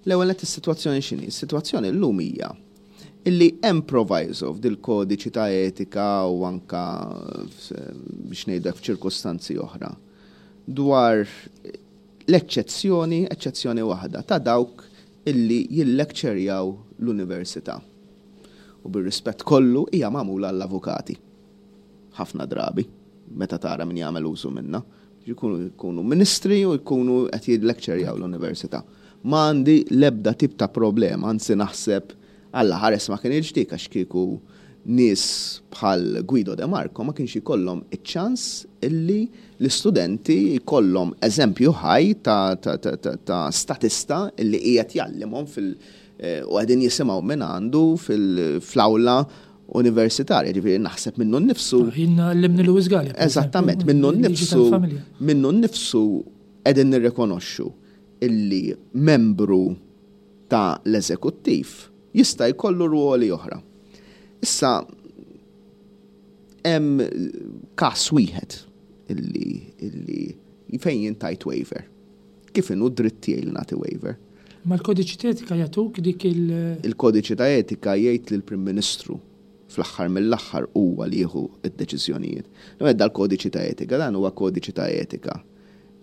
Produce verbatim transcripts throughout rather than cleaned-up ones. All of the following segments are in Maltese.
L-ewwel nett, is-sitwazzjoni x'inhi? Is-sitwazzjoni llum hija illi hemm proviso f'dil-kodiċi ta' etika u anka biex ngħidlek f'ċirkostanzi oħra dwar l-eċċezzjoni, eċċezzjoni waħda ta' dawk illi jillekċerjaw l-università. U bir-rispett kollu, hija magħmula l-avukati. Ħafna drabi, meta tara min jagħmel użu minna. Jkunu jkunu ministri u jkunu qed jillekċerjaw l-università. Ma għandi l-ebda tip ta' problema, anzi naħseb Alla ħares ma kienx dik, għax kieku nies bħal Guido De Marco ma kienx ikollhom iċ-ċans illi l-istudenti jkollhom eżempju ħaj ta', ta, ta, ta, ta statista illi qiegħed jgħallimhom fil- eh, u qegħdin jisimgħu minn għandu fil-awla universitarja, ġifieri naħseb minnu nnifsu. Jien għallimni Louis Galea. Per Eżattament, eżempju, minnu liġi nnifsu, tal-familja. Minnu nnifsu qegħdin nirrikonoxxu illi membru ta' l-eżekuttiv jista' jkollu ruoli oħra. Issa hemm każ wieħed illi illi fejn jien tajt waiver. Kif inhu dritt tiegħi li nagħti waiver? Ma l-kodiċi ta' etika jagħtuk dik il- Il-kodiċi ta' etika jgħid li l-Prim Ministru fl-aħħar mill-aħħar huwa li jieħu id-deċiżjonijiet. L dal-kodiċi ta' etika, dan huwa kodiċi ta' etika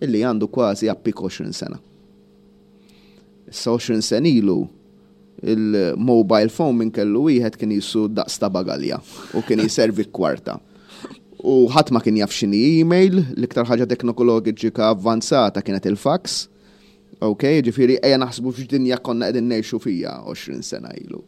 illi għandu kważi appik għoxrin sena. Issa, għoxrin sena ilu il-mobile phone minn kellu wieħed kien jisu daqs ta' bagalja u kien jiservi kwarta. U ħadd ma kien jaf x'inhi email, l-iktar ħaġa teknoloġika avvanzata kienet il-fax. Ok, ġifieri ejja naħsbu f'dinja konna qegħdin ngħixu fija għoxrin sena ilu.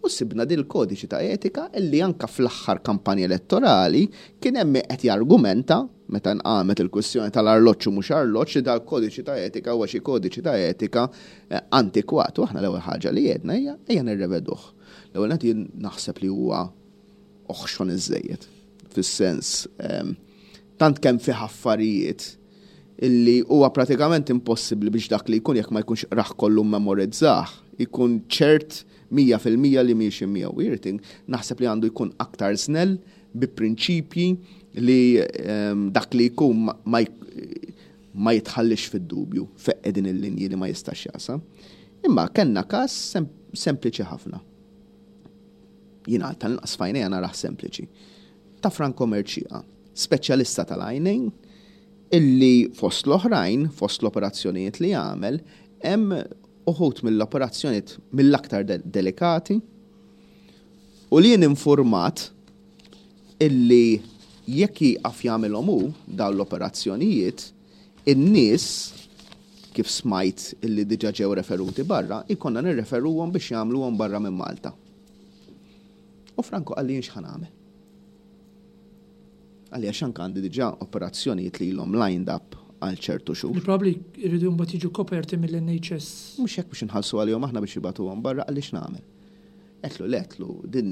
U sibna dil kodiċi ta' etika illi anka fl-aħħar kampanja elettorali kien hemm qed jargumenta meta nqamet il-kwistjoni tal-arloġġ u mhux arloġġ, li dal-kodiċi ta' etika huwa xi kodiċi ta' etika eh, antikwat. U aħna l-ewwel ħaġa li għedna hija ejja nirreveduh. L-ewwel nett, jien naħseb li huwa oħxon iżejjed. Fis-sens ehm, tant kemm fih affarijiet illi huwa pratikament impossibbli biex dak li jkun, jekk ma jkunx raħ kollu memorizzah, ikun ċert mija fil-mija li miexi miegħu. Irting, naħseb li għandu jkun aktar snell bi prinċipji li ehm, dak li jkun ma- ma jk- ma jitħallix fid-dubju fejn qegħdin il-linji li ma jistax jaqsam. Imma kellna każ sem sempliċi ħafna. Jiena tal-inqas f'għajnejja narah sempliċi. Ta' Franco Mercieca, speċjalista tal-għajnejn, illi fost l-oħrajn, fost l-operazzjonijiet li jagħmel, hemm uħud mill-operazzjonijiet mill-aktar de delikati u li jien informat illi jekk jieqaf jagħmilhom hu dawn l-operazzjonijiet, in-nies, kif smajt illi diġà ġew referuti barra, ikonna nirreferuhom biex jagħmluhom barra minn Malta. U Franco qalli, "Jien x'ħa nagħmel?" Qalli, "Għax anke għandi diġà operazzjonijiet li ilhom lined up għal ċertu xhur." Li probabli jridu mbagħad jiġu koperti mill-N H S. Mhux hekk, biex inħallsu għalihom aħna biex jibagħtuhom barra. Qalli, "X'nagħmel?" Għedtlu, le, għedtlu, din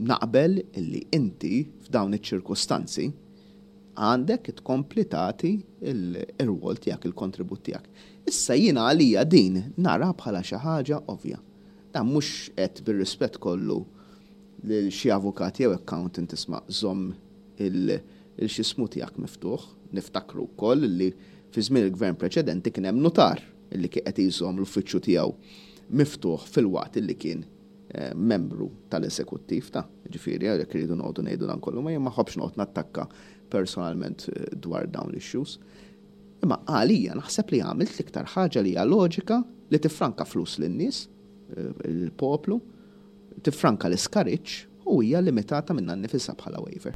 naqbel illi inti f'dawn iċ-ċirkostanzi għandek tkompli tagħti il-rwol tiegħek, il-kontribut tiegħek. Issa jiena għalija din nara bħala xi ħaġa ovvja. Dan mhux qed, bir-rispett kollu lil xi avukat jew accountant, isma', żomm il-xismu tiegħek miftuħ. Niftakru wkoll li fi żmien il-gvern preċedenti kien hemm notar illi kien qed jżomm l-uffiċċju tiegħu miftuħ fil-waqt illi kien eh, membru tal-eżekuttiv ta' ġifieri għalhekk iridu noqogħdu ngħidu dan kollu, ma jien ma ħobbx noqgħod nattakka personalment eh, dwar dawn l-issues. Imma għalija naħseb li għamilt l-iktar ħaġa li hija loġika li tifranka flus lin-nies, eh, il-poplu, tifranka l-iskariċ u hija limitata minnha nnifisha bħala waiver.